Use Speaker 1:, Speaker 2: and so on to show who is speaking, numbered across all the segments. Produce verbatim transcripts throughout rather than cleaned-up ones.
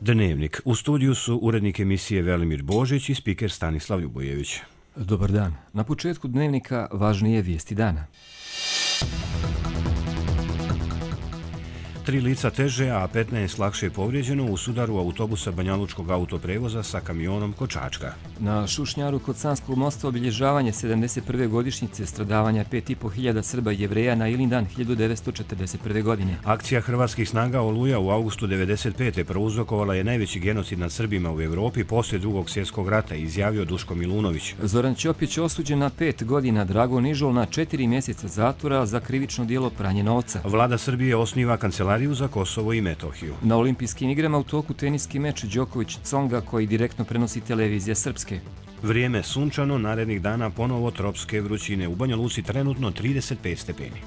Speaker 1: Dnevnik. U studiju su urednik emisije Velimir Božić i spiker Stanislav Ljubojević.
Speaker 2: Dobar dan. Na početku Dnevnika važnije vijesti dana.
Speaker 1: Tri lica teže, a petnaest lakše povrijeđeno u sudaru autobusa Banjalučkog autoprevoza sa kamionom kod Čačka.
Speaker 2: Na Šušnjaru kod Sanskog mosta obilježavanje sedamdeset prve godišnjice stradavanja pet i po hiljada Srba i Jevreja na Ilindan hiljadu devetsto četrdeset prve. godine.
Speaker 1: Akcija hrvatskih snaga Oluja u avgustu devedeset pete prouzrokovala je najveći genocid nad Srbima u Evropi poslije drugog svjetskog rata, izjavio Duško Milunović.
Speaker 2: Zoran Ćopić osuđen na pet godina, Drago Nižol na četiri mjeseca zatvora za krivično djelo pranje novca.
Speaker 1: Vlada Srbije osniva kancelariju za Kosovo i Metohiju.
Speaker 2: Na olimpijskim igrama u toku teniski meč Đoković-Tsonga koji direktno prenosi televizija Srpske.
Speaker 1: Vrijeme sunčano, narednih dana ponovo tropske vrućine. U Banja Luci trenutno trideset pet stepeni.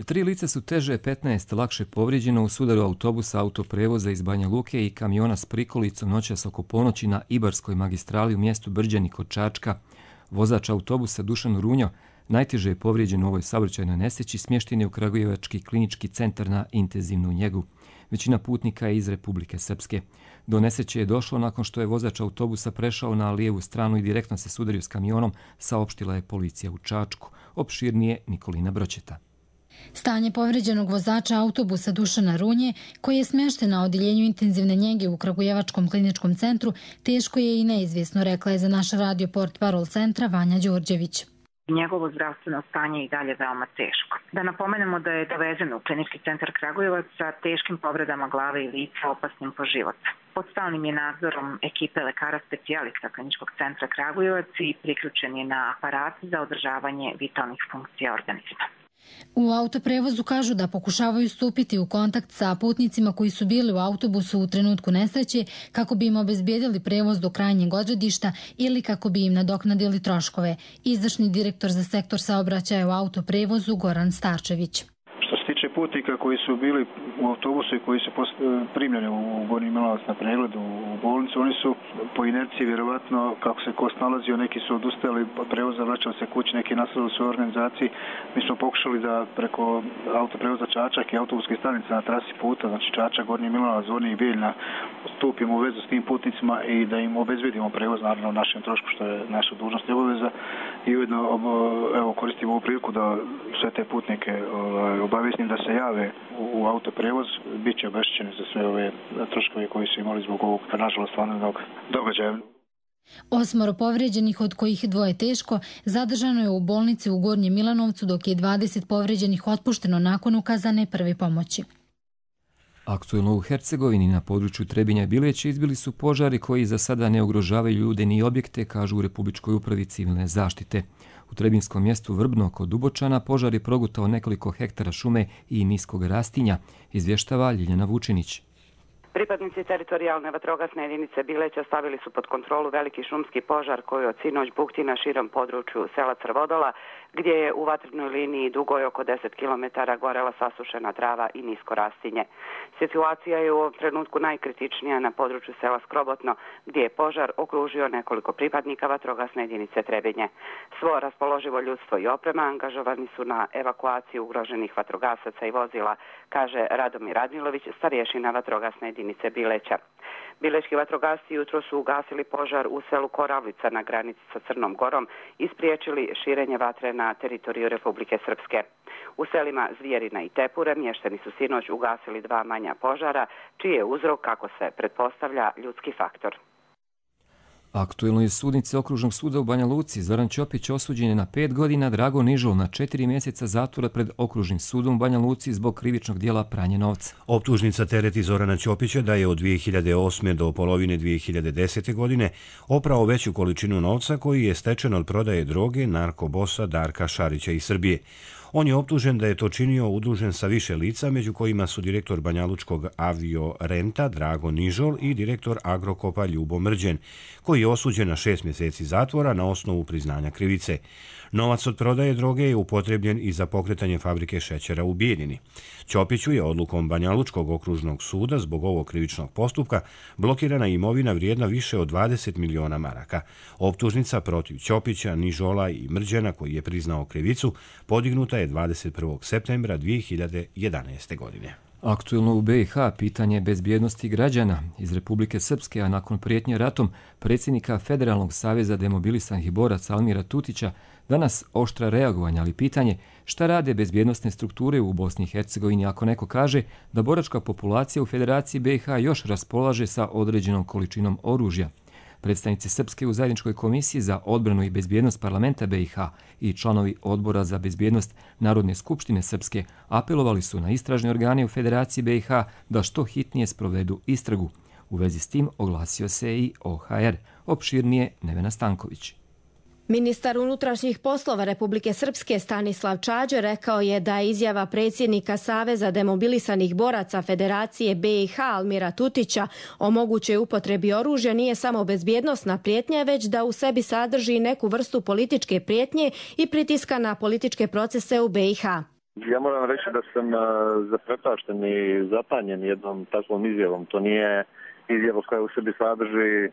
Speaker 2: Tri lica su teže, petnaest lakše povrijeđeno u sudaru autobusa autoprevoza iz Banja Luke i kamiona s prikolicom noćas oko ponoći na Ibarskoj magistrali u mjestu Brđani kod Čačka. Vozač autobusa Dušan Runjo najteže je povrijeđen u ovoj saobraćajnoj nesreći, smješten je u Kragujevački klinički centar na intenzivnu njegu. Većina putnika je iz Republike Srpske. Do nesreće je došlo nakon što je vozač autobusa prešao na lijevu stranu i direktno se sudario s kamionom, saopštila je policija u Čačku. Opširnije Nikolina Bročeta.
Speaker 3: Stanje povrijeđenog vozača autobusa Dušana Runje, koji je smješten na odjeljenju intenzivne njege u Kragujevačkom kliničkom centru, teško je i neizvjesno, rekla je za naš radio portparol centra Vanja Đorđević.
Speaker 4: Njegovo zdravstveno stanje je i dalje veoma teško. Da napomenemo da je dovezen u klinički centar Kragujevac sa teškim povredama glave i lica opasnim po život. Pod stalnim je nadzorom ekipe lekara specijalista kliničkog centra Kragujevac i priključen je na aparat za održavanje vitalnih funkcija organizma.
Speaker 3: U autoprevozu kažu da pokušavaju stupiti u kontakt sa putnicima koji su bili u autobusu u trenutku nesreće kako bi im obezbijedili prevoz do krajnjeg odredišta ili kako bi im nadoknadili troškove. Izvršni direktor za sektor saobraćaja u autoprevozu Goran Starčević.
Speaker 5: Što se tiče putnika koji su bili u autobusu i koji su primljeni u Gornji Milanovac na pregled u bolnicu, oni su po inerciji vjerovatno, kako se ko snalazio, neki su odustajali od prevoza, vraćali se kući, neki nastavili u svojoj organizaciji. Mi smo pokušali da preko autoprevoza Čačak i autobuske stanice na trasi puta, znači Čačak, Gornji Milanovac, Zvornik i Bijeljina, stupimo u vezu s tim putnicima i da im obezbedimo prevoz, naravno u našem trošku, što je naša dužnost i obaveza. I ujedno evo, koristimo ovu priliku da sve te putnike obavijestim da se jave u autoprevoz, bit će obeštećeni za sve ove troškove koji su imali zbog ovog, nažalost, stvarnog događaja.
Speaker 3: Osmoro povrijeđenih, od kojih dvoje teško, zadržano je u bolnici u Gornjem Milanovcu, dok je dvadeset povrijeđenih otpušteno nakon ukazane prve pomoći.
Speaker 2: Aktuelno u Hercegovini na području Trebinja i Bileća izbili su požari koji za sada ne ugrožavaju ljude ni objekte, kažu u Republičkoj upravi civilne zaštite. U trebinskom mjestu Vrbno kod Dubočana požar je progutao nekoliko hektara šume i niskog rastinja, izvještava Ljiljana Vučinić.
Speaker 6: Pripadnici teritorijalne vatrogasne jedinice Bileća stavili su pod kontrolu veliki šumski požar koji od sinoć bukti na širom području sela Crvodola, gdje je u vatrenoj liniji dugoj oko deset kilometara gorela sasušena trava i nisko rastinje. Situacija je u ovom trenutku najkritičnija na području sela Skrobotno, gdje je požar okružio nekoliko pripadnika vatrogasne jedinice Trebinje. Svo raspoloživo ljudstvo i oprema angažovani su na evakuaciju ugroženih vatrogasaca i vozila, kaže Radomir Radmilović, starješina vatrogasne jedinice Bileća. Bilečki vatrogasci jutro su ugasili požar u selu Koravlica na granici sa Crnom Gorom i spriječili širenje vatre na teritoriju Republike Srpske. U selima Zvjerina i Tepure mještani su sinoć ugasili dva manja požara, čiji je uzrok, kako se pretpostavlja, ljudski faktor.
Speaker 2: Aktuelno je sudnici Okružnog suda u Banja Luci. Zoran Ćopić osuđen je na pet godina, Drago Nižol na četiri mjeseca zatvora pred Okružnim sudom u Banja Luci zbog krivičnog djela pranje novca.
Speaker 1: Optužnica tereti Zorana Ćopića da je od dvije hiljade osme do polovine dvije hiljade desete. godine oprao veću količinu novca koji je stečen od prodaje droge narkobosa Darka Šarića iz Srbije. On je optužen da je to činio udružen sa više lica, među kojima su direktor Banjalučkog avio renta Drago Nižol i direktor Agrokopa Ljubo Mrđen, koji je osuđen na šest mjeseci zatvora na osnovu priznanja krivice. Novac od prodaje droge je upotrebljen i za pokretanje fabrike šećera u Bijeljini. Ćopiću je odlukom Banjalučkog okružnog suda zbog ovog krivičnog postupka blokirana imovina vrijedna više od dvadeset miliona maraka. Optužnica protiv Ćopića, Nižola i Mrđena, koji je priznao krivicu, podignuta je dvadeset prvog septembra dvije hiljade jedanaeste. godine.
Speaker 2: Aktuelno u be i ha pitanje bezbjednosti građana iz Republike Srpske, a nakon prijetnje ratom predsjednika Federalnog saveza demobilisanih boraca Almira Tutića, danas oštra reagovanja, ali pitanje šta rade bezbjednostne strukture u Bosni i Hercegovini ako neko kaže da boračka populacija u Federaciji be i ha još raspolaže sa određenom količinom oružja. Predstavnici Srpske u zajedničkoj komisiji za odbranu i bezbjednost parlamenta be i ha i članovi odbora za bezbjednost Narodne skupštine Srpske apelovali su na istražne organe u Federaciji be i ha da što hitnije sprovedu istragu. U vezi s tim oglasio se i o ha er. Opširnije Nevena Stanković.
Speaker 7: Ministar unutrašnjih poslova Republike Srpske Stanislav Čađo rekao je da izjava predsjednika Saveza demobilisanih boraca Federacije be i ha Almira Tutića o mogućoj upotrebi oružja nije samo bezbjednosna prijetnja, već da u sebi sadrži neku vrstu političke prijetnje i pritiska na političke procese u be i ha.
Speaker 8: Ja moram reći da sam zaprepašten i zapanjen jednom takvom izjavom. To nije izjava koja u sebi sadrži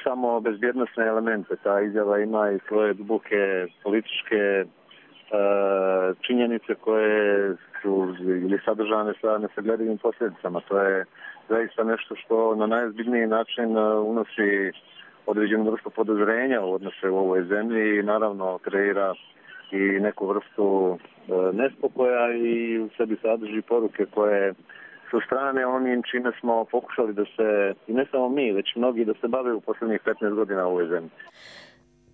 Speaker 8: samo bezbjednosne elemente. Ta izjava ima i svoje duboke političke e, činjenice koje su ili sadržane sa nesagledivim posljedicama. To je zaista nešto što na najozbiljniji način unosi određenu vrstu podozrenja u odnose u ovoj zemlji i naravno kreira i neku vrstu e, nespokoja i u sebi sadrži poruke koje su strane onim čime smo pokušali da se, i ne samo mi, već mnogi da se bave u posljednjih petnaest godina u ovoj zemlji.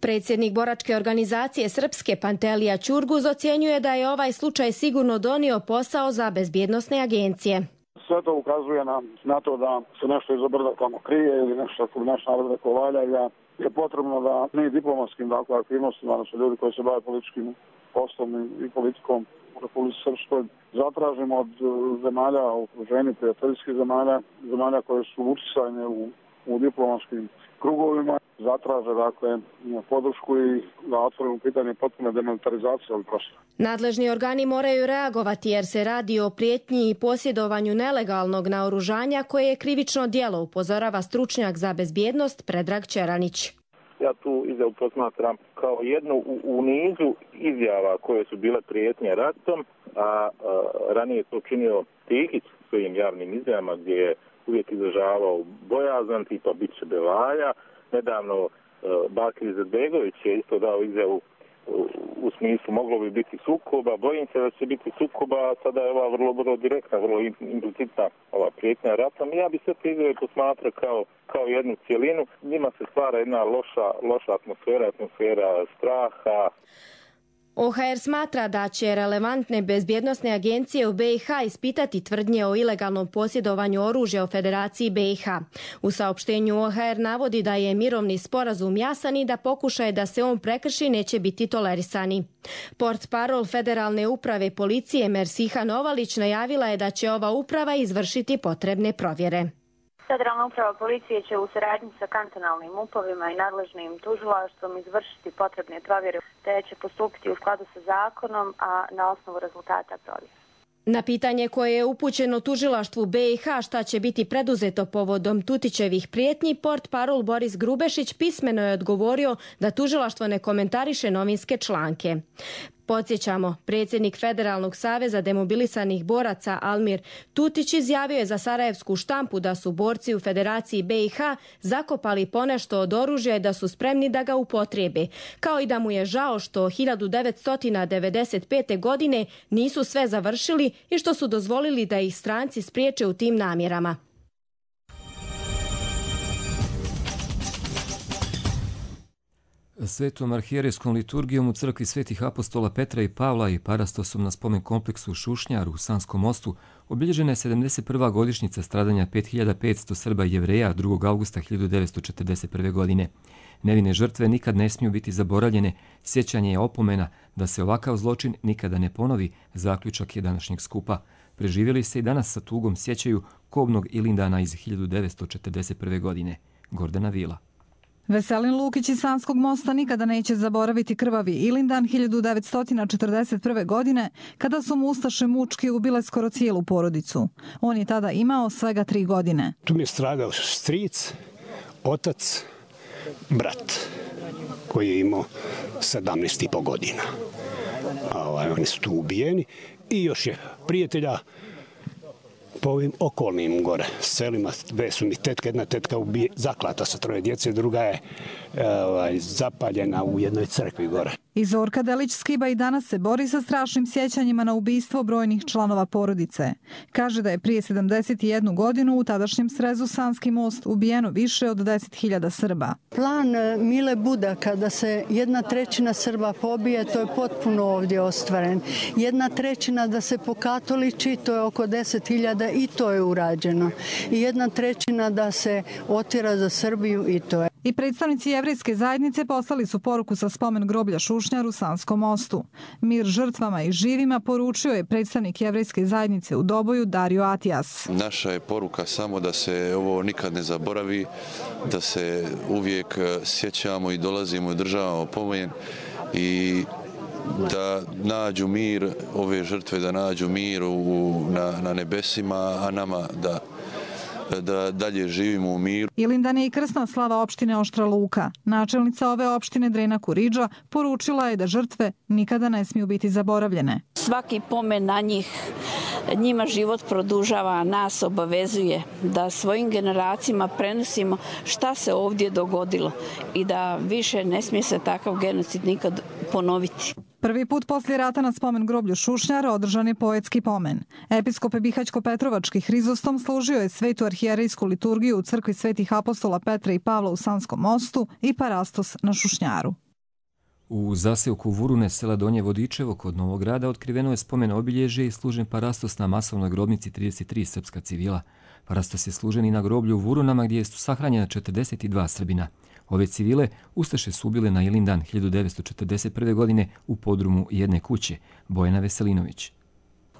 Speaker 7: Predsjednik boračke organizacije Srpske Pantelija Ćurguz ocjenjuje da je ovaj slučaj sigurno donio posao za bezbjednosne agencije.
Speaker 9: Sve to ukazuje na, na to da se nešto iz obrda tamo krije ili nešto što naš narod rekao valja i da je potrebno da mi diplomatskim dakle, aktivnostima, odnosno ljudi koji se bave političkim poslom i politikom u Republici Srpskoj, zatražimo od zemalja u okruženju, prijateljskih zemalja, zemalja koje su uticajne u, u diplomatskim krugovima, zatraže dakle podršku i da otvorimo pitanje potpune demilitarizacije ovog prostora.
Speaker 7: Nadležni organi moraju reagovati jer se radi o prijetnji i posjedovanju nelegalnog naoružanja koje je krivično djelo, upozorava stručnjak za bezbjednost Predrag Čeranić.
Speaker 8: Ja tu izjavu posmatram kao jednu u, u nizu izjava koje su bile prijetnje ratom, a, a ranije to činio Tihić svojim javnim izjavama gdje je uvijek izražavao bojazan, tipa bit će bevalja. Nedavno Bakir Izetbegović je isto dao izjavu u, u smislu moglo bi biti sukoba, bojim se da će biti sukoba, a sada je ova vrlo, vrlo direktna, vrlo implicitna ova prijetnja ratom. Ja bi sve te izjave posmatrao kao, kao jednu cijelinu. Njima se stvara jedna loša, loša atmosfera, atmosfera straha.
Speaker 7: o ha er smatra da će relevantne bezbjednosne agencije u be i ha ispitati tvrdnje o ilegalnom posjedovanju oružja u Federaciji be i ha. U saopštenju o ha er navodi da je mirovni sporazum jasan i da pokušaje da se on prekrši neće biti tolerisani. Portparol Federalne uprave policije Mersiha Novalić najavila je da će ova uprava izvršiti potrebne provjere.
Speaker 10: Federalna uprava policije će u saradnji sa kantonalnim upovima i nadležnim tužilaštvom izvršiti potrebne provjere te će postupiti u skladu sa zakonom, a na osnovu rezultata provjere.
Speaker 7: Na pitanje koje je upućeno tužilaštvu be i ha šta će biti preduzeto povodom Tutićevih prijetnji, portparol Boris Grubešić pismeno je odgovorio da tužilaštvo ne komentariše novinske članke. Podsjećamo, predsjednik Federalnog saveza demobilisanih boraca Almir Tutić izjavio je za sarajevsku štampu da su borci u Federaciji be i ha zakopali ponešto od oružja i da su spremni da ga upotrijebe, kao i da mu je žao što hiljadu devetsto devedeset pete. godine nisu sve završili i što su dozvolili da ih stranci spriječe u tim namjerama.
Speaker 2: Svetom arhijerejskom liturgijom u crkvi Svetih apostola Petra i Pavla i parastosom na spomen kompleksu Šušnjar u Sanskom mostu obilježena je sedamdeset prva godišnjica stradanja pet hiljada petsto Srba i Jevreja drugog avgusta hiljadu devetsto četrdeset prve. godine. Nevine žrtve nikad ne smiju biti zaboravljene, sjećanje je opomena da se ovakav zločin nikada ne ponovi, zaključak je današnjeg skupa. Preživjeli se i danas sa tugom sjećaju kobnog Ilindana iz hiljadu devetsto četrdeset prve. godine. Gordana Vila.
Speaker 11: Veselin Lukić iz Sanskog mosta nikada neće zaboraviti krvavi Ilindan hiljadu devetsto četrdeset prve. godine, kada su mu ustaše mučki ubile skoro cijelu porodicu. On je tada imao svega tri godine.
Speaker 12: Tu mi je stradao stric, otac, brat, koji je imao sedamnaest i po godina. Ovaj, oni su tu ubijeni i još je prijatelja po ovim okolnim gore selima. Dve su mi tetke, jedna tetka ubije, zaklata sa troje djece, druga je ovaj, zapaljena u jednoj crkvi gore.
Speaker 11: I Zorka Delić-Skiba i danas se bori sa strašnim sjećanjima na ubistvo brojnih članova porodice. Kaže da je prije sedamdeset jednu godinu u tadašnjem srezu Sanski most ubijeno više od deset hiljada Srba.
Speaker 13: Plan Mile Budaka da se jedna trećina Srba pobije, to je potpuno ovdje ostvaren. Jedna trećina da se pokatoliči, to je oko deset hiljada i to je urađeno. I jedna trećina da se otjera za Srbiju i to je.
Speaker 11: I predstavnici jevrejske zajednice poslali su poruku sa spomen groblja Šušnjar u Sanskom mostu. Mir žrtvama i živima poručio je predstavnik jevrejske zajednice u Doboju Dario Atijas.
Speaker 14: Naša je poruka samo da se ovo nikad ne zaboravi, da se uvijek sjećamo i dolazimo i održavamo pomen i da nađu mir, ove žrtve da nađu mir u, na, na nebesima, a nama da da dalje živimo u miru.
Speaker 11: Ilindan je i krsna slava opštine Oštra Luka. Načelnica ove opštine Drena Kuriđa poručila je da žrtve nikada ne smiju biti zaboravljene.
Speaker 15: Svaki pomen na njih njima život produžava, nas obavezuje da svojim generacijama prenosimo šta se ovdje dogodilo i da više ne smije se takav genocid nikad ponoviti.
Speaker 11: Prvi put poslije rata na spomen groblju Šušnjar održan je poetski pomen. Episkop Bihaćko-Petrovački Hrizostom služio je svetu arhijerejsku liturgiju u crkvi svetih apostola Petra i Pavla u Sanskom mostu i parastos na Šušnjaru.
Speaker 2: U zaseoku Vurune, sela Donje Vodičevo kod Novog Grada, otkriveno je spomen obilježje i služen parastos na masovnoj grobnici trideset tri srpska civila. Parastos je služen i na groblju u Vurunama gdje su sahranjena četrdeset dva Srbina. Ove civile ustaše su ubile na Ilindan hiljadu devetsto četrdeset prve. godine u podrumu jedne kuće. Bojana Veselinović.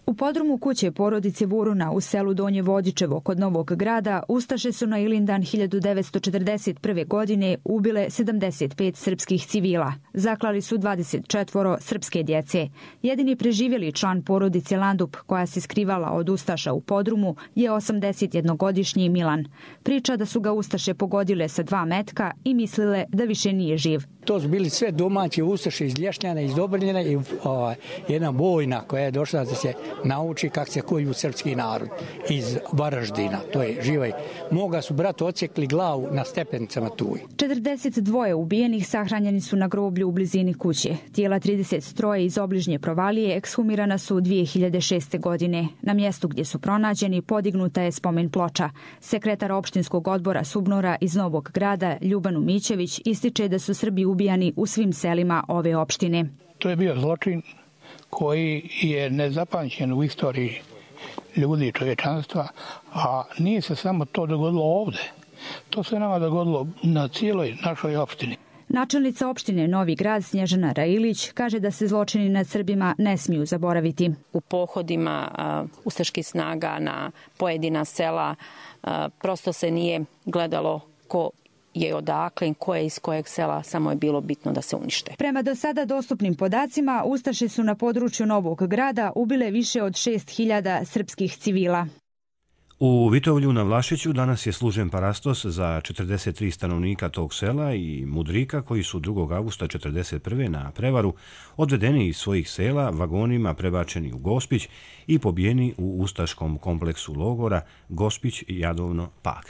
Speaker 16: U podrumu kuće porodice Vuruna u selu Donje Vodičevo kod Novog Grada ustaše su na Ilindan hiljadu devetsto četrdeset prve. godine ubile sedamdeset pet srpskih civila. Zaklali su dvadeset četvoro srpske djece. Jedini preživjeli član porodice Landup, koja se skrivala od ustaša u podrumu, je osamdesetjednogodišnji Milan. Priča da su ga ustaše pogodile sa dva metka i mislile da više nije živ.
Speaker 17: To su bili sve domaći ustaše iz Lješnjana, iz Dobrinjena i o, jedna bojna koja je došla da se nauči kako se koju srpski narod iz Varaždina. To je živaj. Moga su brat odsjekli glavu na stepenicama tuj.
Speaker 16: četrdeset dva ubijenih sahranjeni su na groblju u blizini kuće. Tijela trideset tri iz obližnje provalije ekshumirana su dvije hiljade šeste. godine. Na mjestu gdje su pronađeni podignuta je spomen ploča. Sekretar opštinskog odbora Subnora iz Novog Grada Ljubanu Mićević ističe da su Srbi ubijani u svim selima ove opštine.
Speaker 18: To je bio zločin koji je nezapamćen u istoriji ljudi i čovječanstva, a nije se samo to dogodilo ovdje. To se nama dogodilo na cijeloj našoj opštini.
Speaker 16: Načelnica opštine Novi Grad Snježana Railić kaže da se zločini nad Srbima ne smiju zaboraviti.
Speaker 19: U pohodima uh, ustaških snaga na pojedina sela uh, prosto se nije gledalo ko je odakle, ko je iz kojeg sela, samo je bilo bitno da se unište.
Speaker 16: Prema do sada dostupnim podacima, ustaše su na području Novog Grada ubile više od šest hiljada srpskih civila.
Speaker 1: U Vitovlju na Vlašiću danas je služen parastos za četrdeset tri stanovnika tog sela i mudrika koji su drugog avgusta četrdeset prve. na prevaru odvedeni iz svojih sela vagonima prebačeni u Gospić i pobijeni u ustaškom kompleksu logora Gospić Jadovno Pag.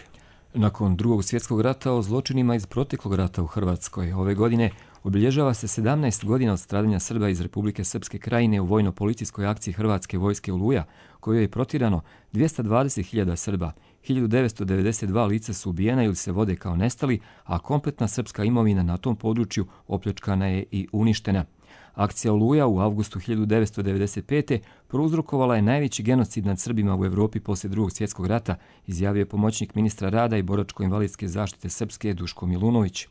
Speaker 2: Nakon drugog svjetskog rata o zločinima iz proteklog rata u Hrvatskoj ove godine obilježava se sedamnaest godina od stradanja Srba iz Republike Srpske krajine u vojno-policijskoj akciji Hrvatske vojske Oluja, kojoj je protirano dvjesto dvadeset hiljada Srba. hiljadu devetsto devedeset dva lica su ubijena ili se vode kao nestali, a kompletna srpska imovina na tom području opljačkana je i uništena. Akcija Oluja u avgustu hiljadu devetsto devedeset pete. prouzrokovala je najveći genocid nad Srbima u Evropi poslije drugog svjetskog rata, izjavio je pomoćnik ministra rada i boračko-invalidske zaštite Srpske Duško Milunović.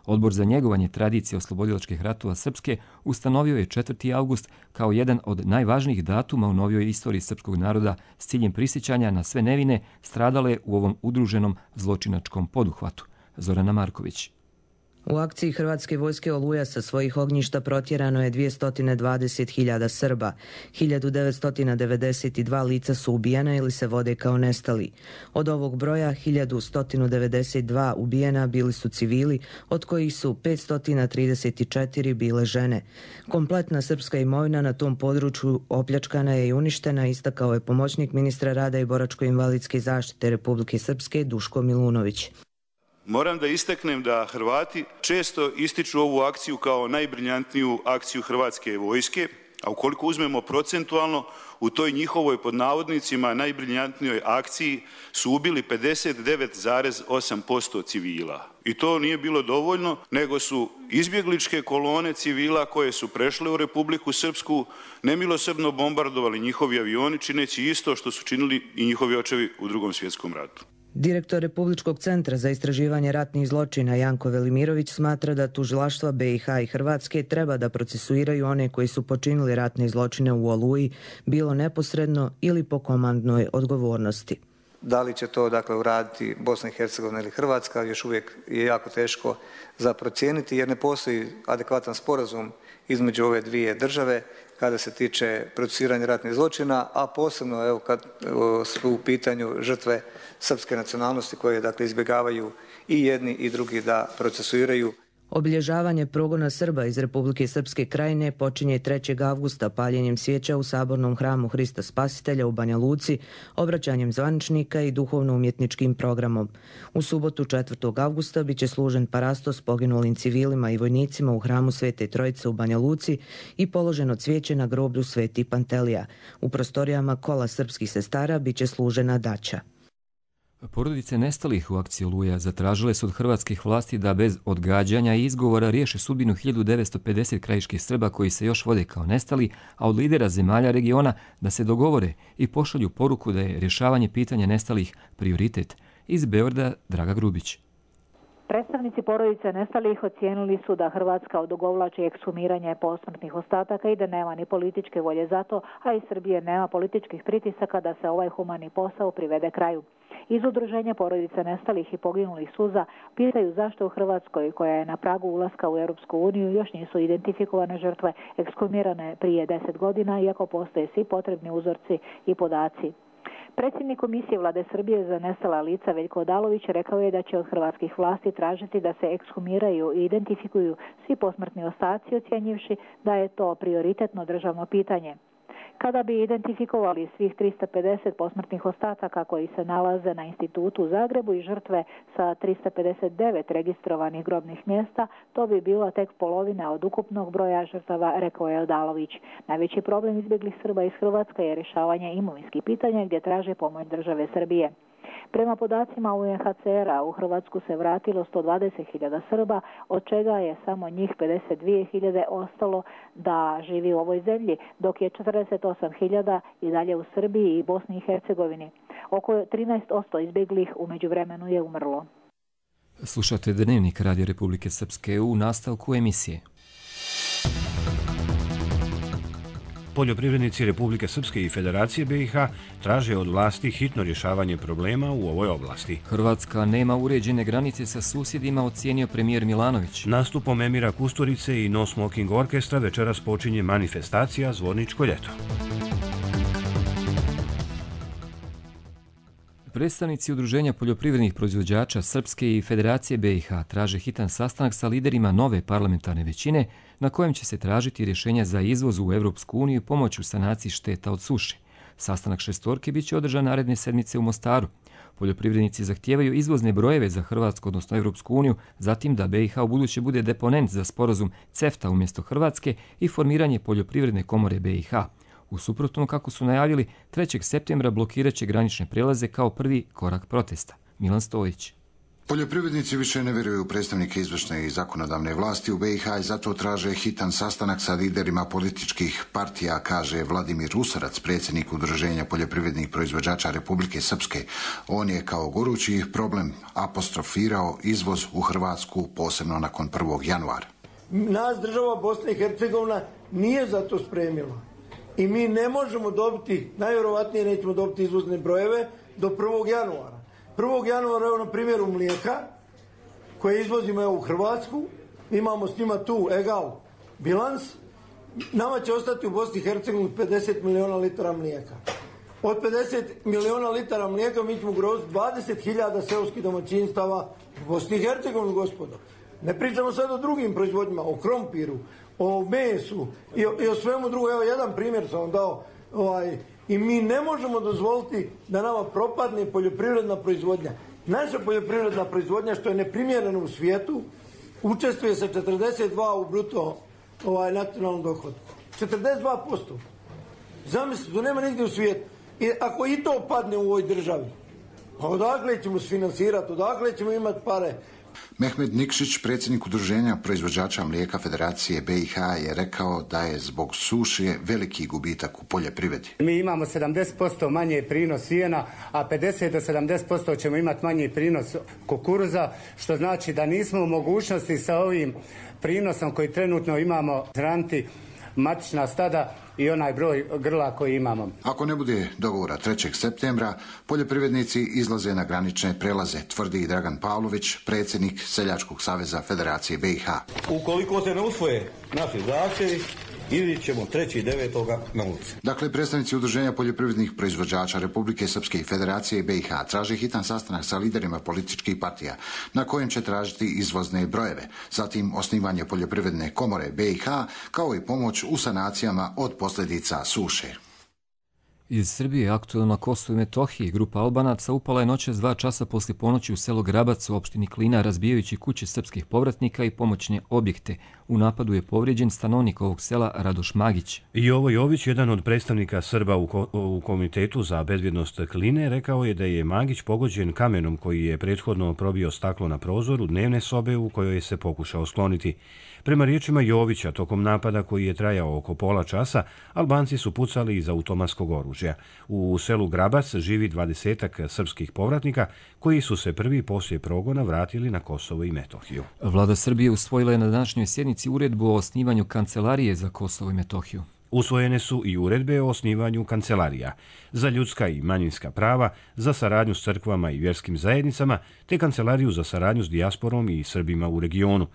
Speaker 2: Odbor za njegovanje tradicije oslobodilačkih ratova Srpske ustanovio je četvrti avgust kao jedan od najvažnijih datuma u novijoj istoriji srpskog naroda s ciljem prisjećanja na sve nevine stradale u ovom udruženom zločinačkom poduhvatu. Zorana Marković.
Speaker 20: U akciji Hrvatske vojske Oluja sa svojih ognjišta protjerano je dvjesto dvadeset hiljada Srba. hiljadu devetsto devedeset dva lica su ubijena ili se vode kao nestali. Od ovog broja hiljadu sto devedeset dva ubijena bili su civili, od kojih su petsto trideset četiri bile žene. Kompletna srpska imovina na tom području opljačkana je i uništena, istakao je pomoćnik ministra rada i boračko-invalidske zaštite Republike Srpske Duško Milunović.
Speaker 21: Moram da istaknem da Hrvati često ističu ovu akciju kao najbriljantniju akciju Hrvatske vojske, a ukoliko uzmemo procentualno, u toj njihovoj pod navodnicima najbriljantnijoj akciji su ubili pedeset devet zarez osam posto civila. I to nije bilo dovoljno, nego su izbjegličke kolone civila koje su prešle u Republiku Srpsku nemilosrdno bombardovali njihovi avioni, čineći isto što su činili i njihovi očevi u Drugom svjetskom ratu.
Speaker 20: Direktor Republičkog centra za istraživanje ratnih zločina Janko Velimirović smatra da tužilaštva B i H i Hrvatske treba da procesuiraju one koji su počinili ratne zločine u Oluji, bilo neposredno ili po komandnoj odgovornosti.
Speaker 22: Da li će to dakle uraditi Bosna i Hercegovina ili Hrvatska, još uvijek je jako teško za procijeniti jer ne postoji adekvatan sporazum između ove dvije države kada se tiče procesuiranja ratnih zločina, a posebno evo kad su u pitanju žrtve srpske nacionalnosti koje dakle izbjegavaju i jedni i drugi da procesuiraju.
Speaker 20: Obilježavanje progona Srba iz Republike Srpske krajine počinje trećeg avgusta paljenjem svijeća u sabornom hramu Hrista Spasitelja u Banja Luci, obraćanjem zvaničnika i duhovno-umjetničkim programom. U subotu četvrtog avgusta biće služen parastos poginulim civilima i vojnicima u hramu Svete Trojice u Banja Luci i položeno cvijeće na groblju Sveti Pantelija. U prostorijama kola srpskih sestara biće služena daća.
Speaker 2: Porodice nestalih u akciji Oluja zatražile su od hrvatskih vlasti da bez odgađanja i izgovora riješe sudbinu hiljadu devetsto pedeset krajiških Srba koji se još vode kao nestali, a od lidera zemalja regiona da se dogovore i pošalju poruku da je rješavanje pitanja nestalih prioritet. Iz Beograda Draga Grubić.
Speaker 23: Predstavnici porodice nestalih ocijenili su da Hrvatska odugovlači ekshumiranje posmrtnih ostataka i da nema ni političke volje za to, a iz Srbije nema političkih pritisaka da se ovaj humani posao privede kraju. Iz udruženja porodice nestalih i poginulih suza pitaju zašto u Hrvatskoj, koja je na pragu ulaska u Europsku uniju, još nisu identifikovane žrtve ekshumirane prije deset godina, iako postoje svi potrebni uzorci i podaci. Predsjednik Komisije Vlade Srbije za nestala lica Veljko Odalović rekao je da će od hrvatskih vlasti tražiti da se ekshumiraju i identifikuju svi posmrtni ostaci, ocjenjivši da je to prioritetno državno pitanje. Kada bi identifikovali svih trista pedeset posmrtnih ostataka koji se nalaze na institutu u Zagrebu i žrtve sa trista pedeset devet registrovanih grobnih mjesta, to bi bila tek polovina od ukupnog broja žrtava, rekao je Odalović. Najveći problem izbjeglih Srba iz Hrvatske je rješavanje imovinskih pitanja gdje traže pomoć države Srbije. Prema podacima U N H C R-a u Hrvatsku se vratilo sto dvadeset hiljada Srba, od čega je samo njih pedeset dvije hiljade ostalo da živi u ovoj zemlji, dok je četrdeset osam hiljada i dalje u Srbiji i Bosni i Hercegovini. Oko trinaest posto izbjeglih u međuvremenu je umrlo.
Speaker 2: Slušate Dnevnik Radio Republike Srpske u nastavku emisije.
Speaker 1: Poljoprivrednici Republike Srpske i Federacije B i H traže od vlasti hitno rješavanje problema u ovoj oblasti.
Speaker 2: Hrvatska nema uređene granice sa susjedima, ocijenio premijer Milanović.
Speaker 1: Nastupom Emira Kusturice i No Smoking Orkestra večeras počinje manifestacija Zvorničko ljeto.
Speaker 2: Predstavnici Udruženja poljoprivrednih proizvođača Srpske i Federacije B i H traže hitan sastanak sa liderima nove parlamentarne većine na kojem će se tražiti rješenja za izvoz u Evropsku uniju i pomoć u sanaciji šteta od suše. Sastanak šestorke biće održan naredne sedmice u Mostaru. Poljoprivrednici zahtijevaju izvozne brojeve za Hrvatsku, odnosno Evropsku uniju, zatim da B i H u buduće bude deponent za sporazum CEFTA umjesto Hrvatske i formiranje poljoprivredne komore B i H. U suprotnom, kako su najavili, trećeg septembra blokirat će granične prelaze kao prvi korak protesta. Milan Stojić.
Speaker 24: Poljoprivrednici više ne vjeruju u predstavnike izvršne i zakonodavne vlasti u B i H i zato traže hitan sastanak sa liderima političkih partija, kaže Vladimir Rusarac, predsjednik Udruženja poljoprivrednih proizvođača Republike Srpske. On je kao gorući problem apostrofirao izvoz u Hrvatsku, posebno nakon prvog januara.
Speaker 25: Nas država Bosna i Hercegovina nije za to spremila. I mi ne možemo dobiti, najvjerovatnije nećemo dobiti izvozne brojeve do prvog januara. prvog januara, evo na primjeru mlijeka, koje izvozimo u Hrvatsku, imamo s njima tu egal bilans, nama će ostati u Bosni i Hercegovini pedeset miliona litara mlijeka. Od pedeset miliona litara mlijeka mi ćemo ugroziti dvadeset hiljada seoskih domaćinstava u Bosni i Hercegovini, gospodo. Ne pričamo sad o drugim proizvodnjima, o krompiru, o mesu i o, i o svemu drugom. Evo, jedan primjer sam vam dao. Ovaj, I mi ne možemo dozvoliti da nama propadne poljoprivredna proizvodnja. Naša poljoprivredna proizvodnja, što je neprimjereno u svijetu, učestvuje sa četrdeset dva u bruto ovaj, nacionalnom dohodku. četrdeset dva posto. Zamislite, to nema nigdje u svijetu. I ako i to padne u ovoj državi, pa odakle ćemo sfinansirati, odakle ćemo imati pare?
Speaker 24: Mehmed Nikšić, predsjednik Udruženja proizvođača mlijeka Federacije B i H, je rekao da je zbog suše veliki gubitak u poljoprivredi.
Speaker 3: Mi imamo sedamdeset posto manje prinos sijena, a pedeset do sedamdeset posto ćemo imati manji prinos kukuruza, što znači da nismo u mogućnosti sa ovim prinosom koji trenutno imamo hraniti matična stada i onaj broj grla koji imamo.
Speaker 24: Ako ne bude dogovora trećeg septembra, poljoprivrednici izlaze na granične prelaze, tvrdi Dragan Pavlović, predsjednik Seljačkog saveza Federacije B i H.
Speaker 4: Ukoliko se ne usvoje naši zahtjevi, ili ćemo treći devetoga na ulici.
Speaker 24: Dakle, predstavnici Udruženja poljoprivrednih proizvođača Republike Srpske i Federacije B i H traže hitan sastanak sa liderima političkih partija, na kojem će tražiti izvozne brojeve, zatim osnivanje poljoprivredne komore B i H, kao i pomoć u sanacijama od posljedica suše.
Speaker 2: Iz Srbije, aktualno na Kosovu i Metohiji, grupa Albanaca upala je noćas dva časa poslije ponoći u selo Grabac u opštini Klina, razbijajući kuće srpskih povratnika i pomoćne objekte. U napadu je povrijeđen stanovnik ovog sela Radoš Magić.
Speaker 1: Jovo Jović, jedan od predstavnika Srba u, ko u Komitetu za bezbjednost Kline, rekao je da je Magić pogođen kamenom koji je prethodno probio staklo na prozoru dnevne sobe u kojoj se pokušao skloniti. Prema riječima Jovića, tokom napada koji je trajao oko pola časa, Albanci su pucali iz automatskog oružja. U selu Grabac živi dvadesetak srpskih povratnika koji su se prvi poslije progona vratili na Kosovo i Metohiju.
Speaker 2: Vlada Srbije usvojila je na današnjoj sjednici uredbu o osnivanju kancelarije za Kosovo i Metohiju.
Speaker 1: Usvojene su i uredbe o osnivanju kancelarija za ljudska i manjinska prava, za saradnju s crkvama i vjerskim zajednicama, te kancelariju za saradnju s dijasporom i Srbima u regionu.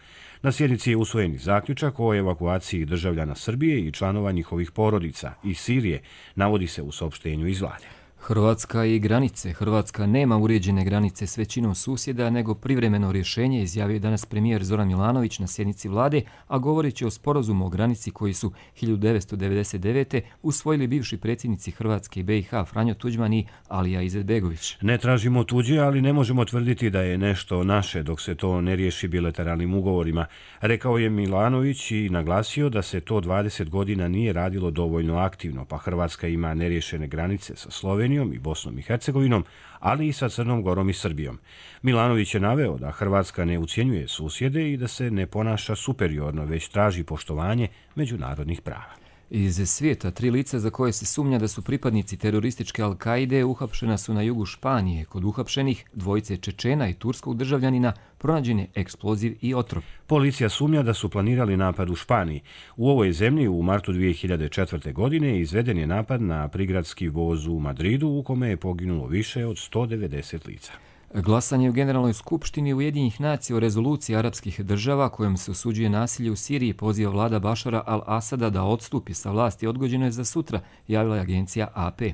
Speaker 1: Na sjednici je usvojen i zaključak o evakuaciji državljana Srbije i članova njihovih porodica iz Sirije, navodi se u saopštenju iz vlade.
Speaker 2: Hrvatska i granice. Hrvatska nema uređene granice s većinom susjeda, nego privremeno rješenje, izjavio danas premijer Zoran Milanović na sjednici vlade, a govoreći o sporazumu o granici koji su hiljadu devetsto devedeset devete. usvojili bivši predsjednici Hrvatske i B i H Franjo Tuđman i Alija Izetbegović.
Speaker 1: Ne tražimo tuđe, ali ne možemo tvrditi da je nešto naše dok se to ne riješi bilateralnim ugovorima, rekao je Milanović i naglasio da se to dvadeset godina nije radilo dovoljno aktivno, pa Hrvatska ima neriješene granice sa Slovenijom i Bosnom i Hercegovinom, ali i sa Crnom Gorom i Srbijom. Milanović je naveo da Hrvatska ne ucjenjuje susjede i da se ne ponaša superiorno, već traži poštovanje međunarodnih prava.
Speaker 2: Iz svijeta, tri lica za koje se sumnja da su pripadnici terorističke Al-Kaide uhapšena su na jugu Španije. Kod uhapšenih dvojice Čečena i turskog državljanina pronađen je eksploziv i otrov.
Speaker 1: Policija sumnja da su planirali napad u Španiji. U ovoj zemlji u martu dvije hiljade četvrte. godine izveden je napad na prigradski voz u Madridu u kome je poginulo više od sto devedeset lica.
Speaker 2: Glasanje u Generalnoj skupštini Ujedinjenih nacija o rezoluciji arapskih država kojom se osuđuje nasilje u Siriji poziva vlada Bašara al-Asada da odstupi sa vlasti odgođeno je za sutra, javila je agencija A P.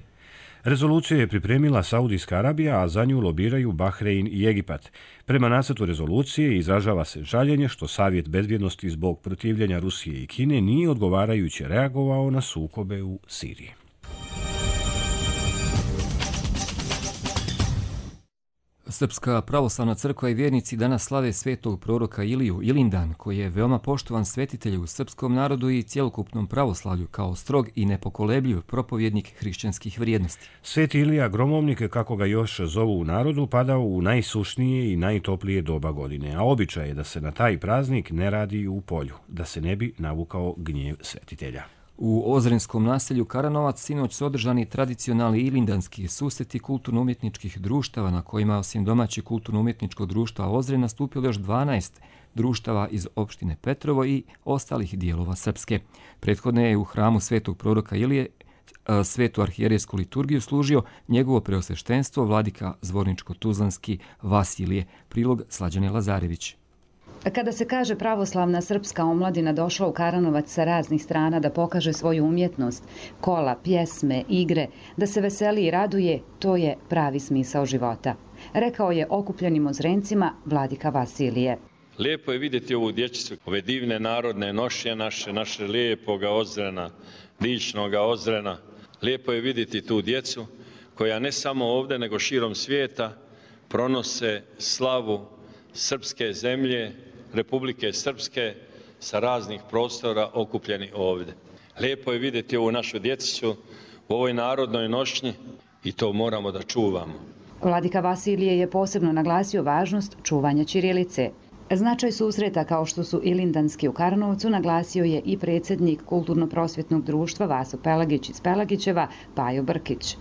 Speaker 1: Rezoluciju je pripremila Saudijska Arabija, a za nju lobiraju Bahrein i Egipat. Prema nacrtu rezolucije izražava se žaljenje što Savjet bezbjednosti zbog protivljenja Rusije i Kine nije odgovarajuće reagovao na sukobe u Siriji.
Speaker 2: Srpska pravoslavna crkva i vjernici danas slave svetog proroka Iliju Ilindan, koji je veoma poštovan svetitelj u srpskom narodu i cjelokupnom pravoslavlju kao strog i nepokolebljiv propovjednik hrišćanskih vrijednosti.
Speaker 1: Sveti Ilija Gromovnik, kako ga još zovu u narodu, padao u najsušnije i najtoplije doba godine, a običaj je da se na taj praznik ne radi u polju, da se ne bi navukao gnjev svetitelja.
Speaker 2: U Ozrenskom naselju Karanovac sinoć su održani tradicionalni ilindanski susreti kulturno-umjetničkih društava na kojima osim domaćeg kulturno-umjetničkog društva Ozren nastupilo još dvanaest društava iz opštine Petrovo i ostalih dijelova Srpske. Prethodne je u hramu svetog proroka Ilije svetu arhijerejsku liturgiju služio njegovo preosveštenstvo vladika Zvorničko-Tuzlanski Vasilije, prilog Slađane Lazarević.
Speaker 5: Kada se kaže pravoslavna srpska omladina došla u Karanovac sa raznih strana da pokaže svoju umjetnost, kola, pjesme, igre, da se veseli i raduje, to je pravi smisao života. Rekao je okupljenim Ozrencima vladika Vasilije.
Speaker 6: Lijepo je vidjeti ovu dječicu, ove divne narodne nošnje naše, naše lijepoga Ozrena, dičnoga Ozrena. Lijepo je vidjeti tu djecu koja ne samo ovdje nego širom svijeta pronose slavu srpske zemlje, Republike Srpske sa raznih prostora okupljeni ovdje. Lijepo je vidjeti ovu našu djecicu u ovoj narodnoj nošnji i to moramo da čuvamo.
Speaker 5: Vladika Vasilije je posebno naglasio važnost čuvanja ćirilice. Značaj susreta kao što su Ilindanski u Karnovcu naglasio je i predsjednik Kulturno-prosvjetnog društva Vaso Pelagić iz Pelagićeva, Pajo Brkić.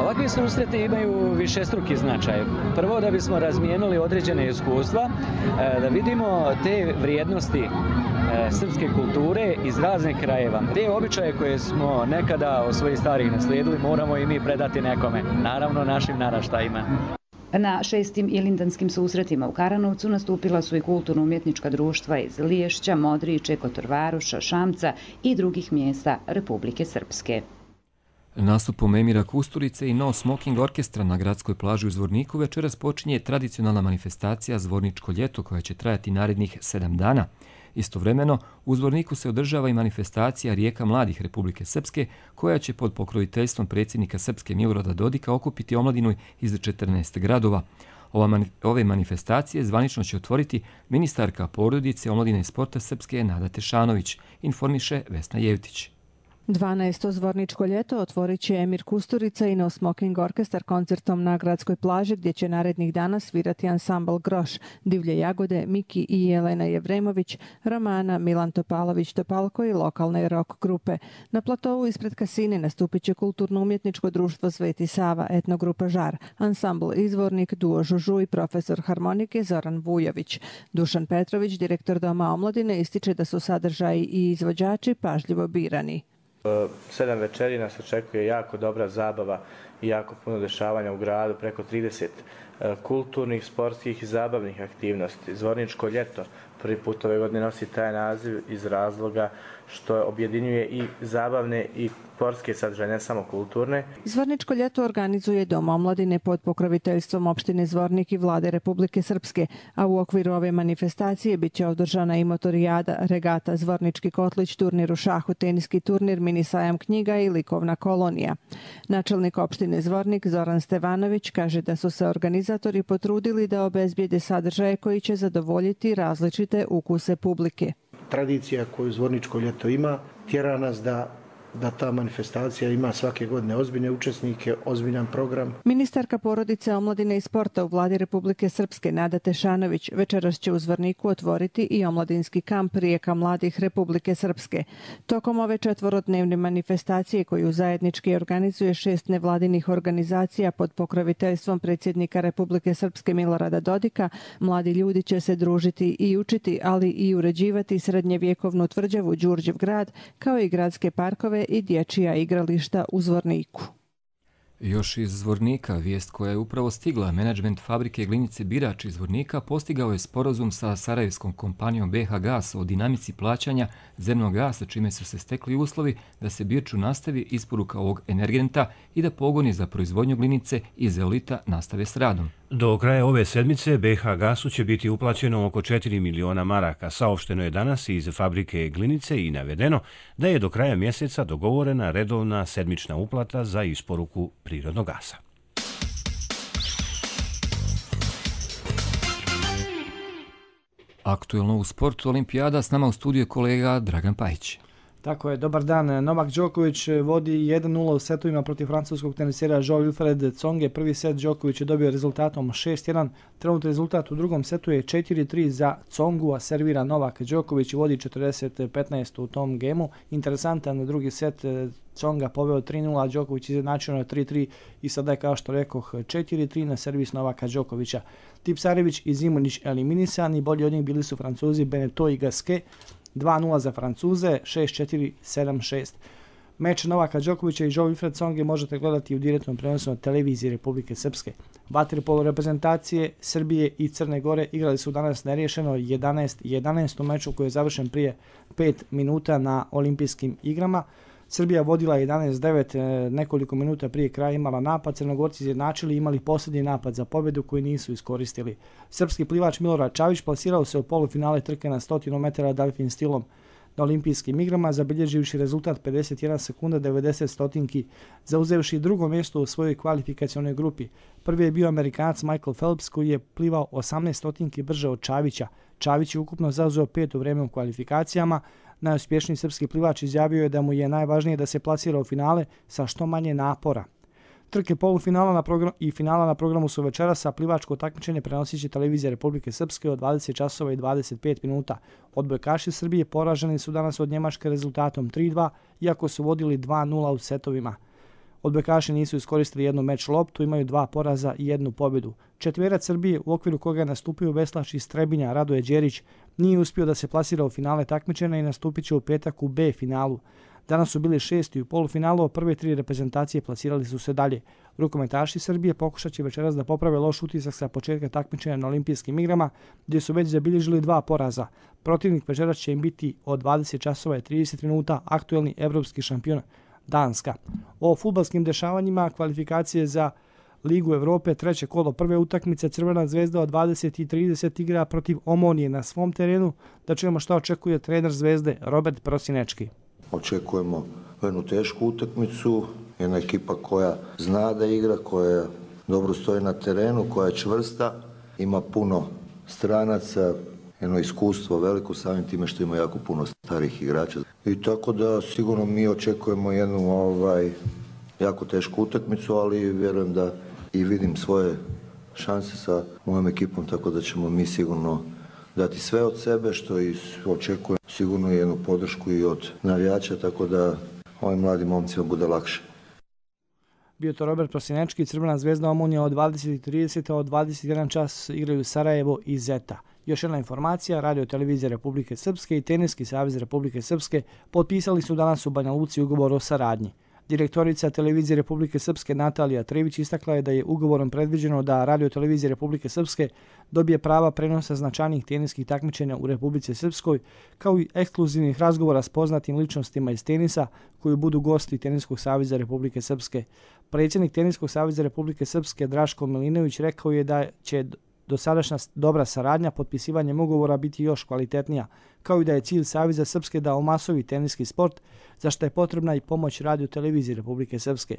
Speaker 8: Ovakvi susreti imaju višestruki značaj. Prvo da bismo razmijenili određene iskustva, da vidimo te vrijednosti srpske kulture iz raznih krajeva. Te običaje koje smo nekada od svojih starih naslijedili moramo i mi predati nekome, naravno našim naraštajima.
Speaker 5: Na šestim ilindanskim susretima u Karanovcu nastupila su i kulturno-umjetnička društva iz Liješća, Modriče, Kotorvaruša, Šamca i drugih mjesta Republike Srpske.
Speaker 2: Nastupom Emira Kusturice i No Smoking orkestra na gradskoj plaži u Zvorniku večeras počinje tradicionalna manifestacija Zvorničko ljeto koja će trajati narednih sedam dana. Istovremeno, u Zvorniku se održava i manifestacija Rijeka mladih Republike Srpske koja će pod pokroviteljstvom predsjednika Srpske Milorada Dodika okupiti omladinu iz četrnaest gradova. Ove manifestacije zvanično će otvoriti ministarka porodice, omladine i sporta Srpske Nada Tešanović, informiše Vesna Jevtić.
Speaker 9: dvanaesto Zvorničko ljeto otvorit će Emir Kusturica i No Smoking orkestar koncertom na gradskoj plaži gdje će narednih dana svirati ansambl Groš, Divlje jagode, Miki i Jelena Jevremović, Romana, Milan Topalović-Topalko i lokalne rock grupe. Na platovu ispred kasine nastupit će kulturno-umjetničko društvo Sveti Sava, etnogrupa Žar, ansambl Izvornik, duo Žužu i profesor harmonike Zoran Vujović. Dušan Petrović, direktor Doma omladine, ističe da su sadržaji i izvođači pažljivo birani.
Speaker 10: Sedam večeri nas očekuje jako dobra zabava i jako puno dešavanja u gradu, preko trideset kulturnih, sportskih i zabavnih aktivnosti. Zvorničko ljeto prvi put ove godine nosi taj naziv iz razloga što objedinjuje i zabavne i sportske sadržaje, ne samo kulturne.
Speaker 9: Zvorničko ljeto organizuje Dom omladine pod pokroviteljstvom opštine Zvornik i vlade Republike Srpske, a u okviru ove manifestacije bit će održana i motorijada, regata, Zvornički kotlić, turnir u šahu, teniski turnir, mini sajam knjiga i likovna kolonija. Načelnik opštine Zvornik Zoran Stevanović kaže da su se organizatori potrudili da obezbijede sadržaje koji će zadovoljiti različite ukuse publike.
Speaker 26: Tradicija koju Zvorničko ljeto ima tjera nas da da ta manifestacija ima svake godine ozbiljne učesnike, ozbiljan program.
Speaker 9: Ministarka porodice, omladine i sporta u vladi Republike Srpske Nada Tešanović večeras će u Zvorniku otvoriti i omladinski kamp Rijeka mladih Republike Srpske. Tokom ove četvorodnevne manifestacije koju zajednički organizuje šest nevladinih organizacija pod pokroviteljstvom predsjednika Republike Srpske Milorada Dodika, mladi ljudi će se družiti i učiti, ali i uređivati srednjevjekovnu tvrđavu Đurđev grad, kao i gradske parkove i dječja igrališta u Zvorniku.
Speaker 2: Još iz Zvornika, vijest koja je upravo stigla, menadžment fabrike glinice Birač iz Zvornika postigao je sporazum sa sarajevskom kompanijom B H Gas o dinamici plaćanja zemnog gasa, čime su se stekli uslovi da se Birču nastavi isporuka ovog energenta i da pogoni za proizvodnju glinice i zeolita nastave s radom.
Speaker 1: Do kraja ove sedmice B H Gasu će biti uplaćeno oko četiri miliona maraka. Saopšteno je danas iz fabrike glinice i navedeno da je do kraja mjeseca dogovorena redovna sedmična uplata za isporuku prirodnog gasa.
Speaker 2: Aktuelno u sportu Olimpijada, s nama u studiju je kolega Dragan Pajić.
Speaker 27: Tako je, dobar dan. Novak Đoković vodi jedan nula u setovima protiv francuskog tenisera Jean-Wilfred Tsonge. Prvi set Đoković je dobio rezultatom šest jedan. Trenutni rezultat u drugom setu je četiri tri za Tsongu, a servira Novak Đoković i vodi četrdeset petnaest u tom gemu. Interesantan drugi set, Tsonga poveo tri nula, a Đoković izjednačio na tri tri i sada je, kao što rekoh, četiri tri na servis Novaka Đokovića. Tipsarević i Zimunić eliminisani, bolji od njih bili su Francuzi Beneteau i Gasquet. dva nula za Francuze, šest četiri, sedam šest. Meč Novaka Đokovića i Jean-Wilfred Tsonge možete gledati u direktnom prenosu na televiziji Republike Srpske. Vaterpolo reprezentacije Srbije i Crne Gore igrali su danas neriješeno jedanaest jedanaest u meču koji je završen prije pet minuta na olimpijskim igrama. Srbija vodila jedanaest devet, nekoliko minuta prije kraja imala napad, Crnogorci izjednačili i imali posljednji napad za pobjedu koji nisu iskoristili. Srpski plivač Milorad Čavić plasirao se u polufinale trke na stotinu metara delfin stilom na olimpijskim igrama, zabilježivši rezultat pedeset jedna sekunda devedeset stotinki, zauzevši drugo mjesto u svojoj kvalifikacionoj grupi. Prvi je bio Amerikanac Michael Phelps koji je plivao osamnaest stotinki brže od Čavića. Čavić je ukupno zauzeo pet u vreme u kvalifikacijama. Najuspješniji srpski plivač izjavio je da mu je najvažnije da se plasira u finale sa što manje napora. Trke polufinala na program, i finala na programu su večeras, a plivačko takmičenje prenosit će televizija Republike Srpske od dvadeset časova i dvadeset pet minuta. Odbojkaši Srbije poraženi su danas od Njemačke rezultatom tri dva, iako su vodili dva nula u setovima. Odbojkaši nisu iskoristili jednu meč loptu, imaju dva poraza i jednu pobjedu. Četverac Srbije, u okviru koga je nastupio veslač iz Trebinja Radoje Đerić, nije uspio da se plasira u finale takmičenja i nastupit će u petak u B finalu. Danas su bili šesti u polufinalu, a prve tri reprezentacije plasirali su se dalje. Rukometaši Srbije pokušat će večeras da poprave loš utisak sa početka takmičenja na olimpijskim igrama, gdje su već zabilježili dva poraza. Protivnik večeras će im biti od dvadeset časova i trideset minuta aktuelni evropski šampion Danska. O fudbalskim dešavanjima kvalifikacije za Ligu Evrope, treće kolo prve utakmice, Crvena zvezda od dvadeset i trideset igra protiv Omonije na svom terenu. Da čujemo šta očekuje trener Zvezde Robert Prosinečki.
Speaker 7: Očekujemo jednu tešku utakmicu, jedna ekipa koja zna da igra, koja dobro stoji na terenu, koja je čvrsta, ima puno stranaca, jedno iskustvo veliko samim time što ima jako puno starih igrača. I tako da sigurno mi očekujemo jednu ovaj, jako tešku utakmicu, ali vjerujem da i vidim svoje šanse sa mojom ekipom, tako da ćemo mi sigurno dati sve od sebe, što i očekujem sigurno jednu podršku i od navijača, tako da ovim mladim momcima bude lakše.
Speaker 27: Bio to Robert Prosinečki, Crvena zvezda Omonija od dvadeset i trideset, a od dvadeset jedan čas igraju Sarajevo i Zeta. Još jedna informacija, Radio televizija Republike Srpske i Teniski savez Republike Srpske potpisali su danas u Banja Luci ugovor o saradnji. Direktorica televizije Republike Srpske Natalija Trević istakla je da je ugovorom predviđeno da Radio televizija Republike Srpske dobije prava prenosa značajnih teniskih takmičenja u Republici Srpskoj, kao i ekskluzivnih razgovora s poznatim ličnostima iz tenisa koji budu gosti Teniskog saveza Republike Srpske. Predsjednik Teniskog saveza Republike Srpske Draško Milinović rekao je da će dosadašnja dobra saradnja potpisivanjem ugovora biti još kvalitetnija, kao i da je cilj Saveza Srpske da omasovi teniski sport, za što je potrebna i pomoć Radio televizije Republike Srpske.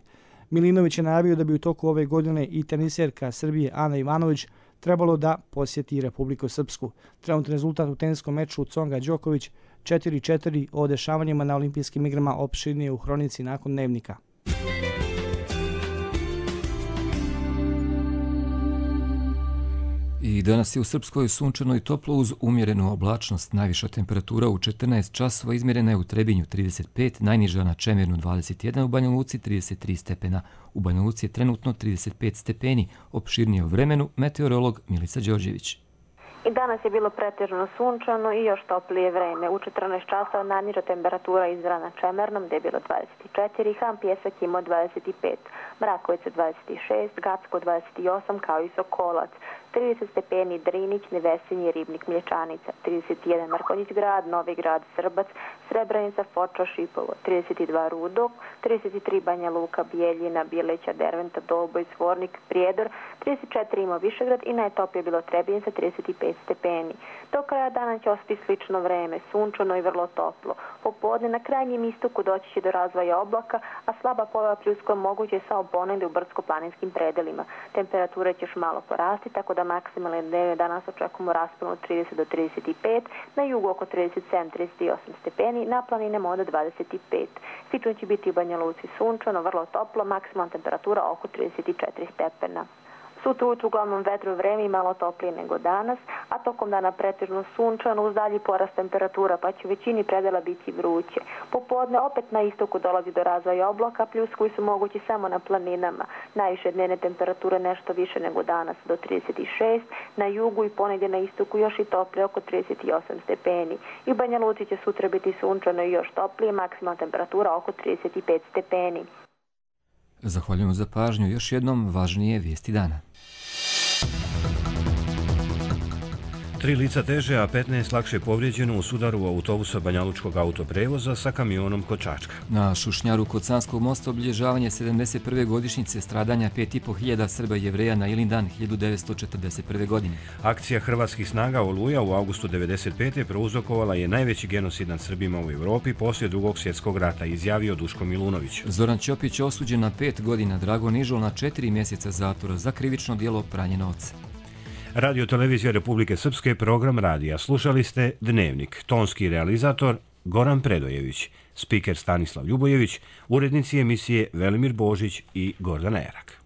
Speaker 27: Milinović je najavio da bi u toku ove godine i teniserka Srbije Ana Ivanović trebalo da posjeti Republiku Srpsku. Trenutni rezultat u teniskom meču Tsonga Đoković četiri četiri, o dešavanjima na olimpijskim igrama opširnije u hronici nakon dnevnika.
Speaker 2: I danas je u Srpskoj sunčano i toplo uz umjerenu oblačnost. Najviša temperatura u četrnaest časova izmjerena je u Trebinju trideset pet, najniža na Čemirnu dvadeset jedan, u Banja Luci trideset tri stepena. U Banja Luci je trenutno trideset pet stepeni. Opširnije o vremenu meteorolog Milica Đorđević.
Speaker 11: I danas je bilo pretežno sunčano i još toplije vreme. U četrnaest časova najniža temperatura izmjerena na Čemernom, gdje je bilo dvadeset četiri, Han Pjesak imao dvadeset pet, Mrakovica dvadeset šest, Gacko dvadeset osam, kao i Sokolac, trideset stepeni Drinić, Nevesinje, Ribnik, Mlječanica, trideset jedan Mrkonjić grad, Novi grad, Srbac, Srebrenica, Foča, Šipovo, trideset dva Rudok, trideset tri Banja Luka, Bijeljina, Bileća, Derventa, Dolboj, Svornik, Prijedor, trideset četiri ima Višegrad i najtoplije bilo Trebinjica, trideset pet stepeni. Do kraja dana će ostati slično vreme, sunčano i vrlo toplo. Popodne na krajnjem istoku doći će do razvoja oblaka, a slaba pojava pljuska moguće samo ponegdje u brdsko-planinskim predelima. Temperature će još malo porasti, tako da maksimalne dnevne danas očekujemo raspon od trideset do trideset pet, na jugu oko trideset sedam do trideset osam stepeni, na planinama od dvadeset pet. Slično će biti u Banja Luci sunčano, vrlo toplo, maksimalna temperatura oko trideset četiri stepena. Sutra ujutru uglavnom vetro vreme i malo toplije nego danas, a tokom dana pretežno sunčano uz dalji porast temperatura, pa će u većini predela biti vruće. Popodne opet na istoku dolazi do razvoja oblaka, plus koji su mogući samo na planinama. Najviše dnevne temperature nešto više nego danas do trideset šest, na jugu i ponegdje na istoku još i toplije oko trideset osam stepeni. I u Banja Luci će sutra biti sunčano i još toplije, maksimalna temperatura oko trideset pet stepeni.
Speaker 2: Zahvaljujemo za pažnju. Još jednom važnije vijesti dana.
Speaker 1: Tri lica teže, a petnaest lakše povrijeđeno u sudaru autobusa Banjalučkog autoprevoza sa kamionom kod Čačka.
Speaker 2: Na Šušnjaru kod Sanskog mosta obilježavanje sedamdeset prve godišnjice stradanja pet i po hiljada Srba i Jevreja na Ilindan hiljadu devetsto četrdeset prve. godine.
Speaker 1: Akcija hrvatskih snaga Oluja u avgustu devedeset pete prouzrokovala je najveći genocid nad Srbima u Evropi poslije drugog svjetskog rata, izjavio Duško Milunović.
Speaker 2: Zoran Ćopić osuđen na pet godina, Drago Nižol na četiri mjeseca zatvora za krivično djelo pranje novca.
Speaker 1: Radio Televizija Republike Srpske, program radija. Slušali ste Dnevnik. Tonski realizator Goran Predojević, spiker Stanislav Ljubojević, urednici emisije Velimir Božić i Gordana Erak.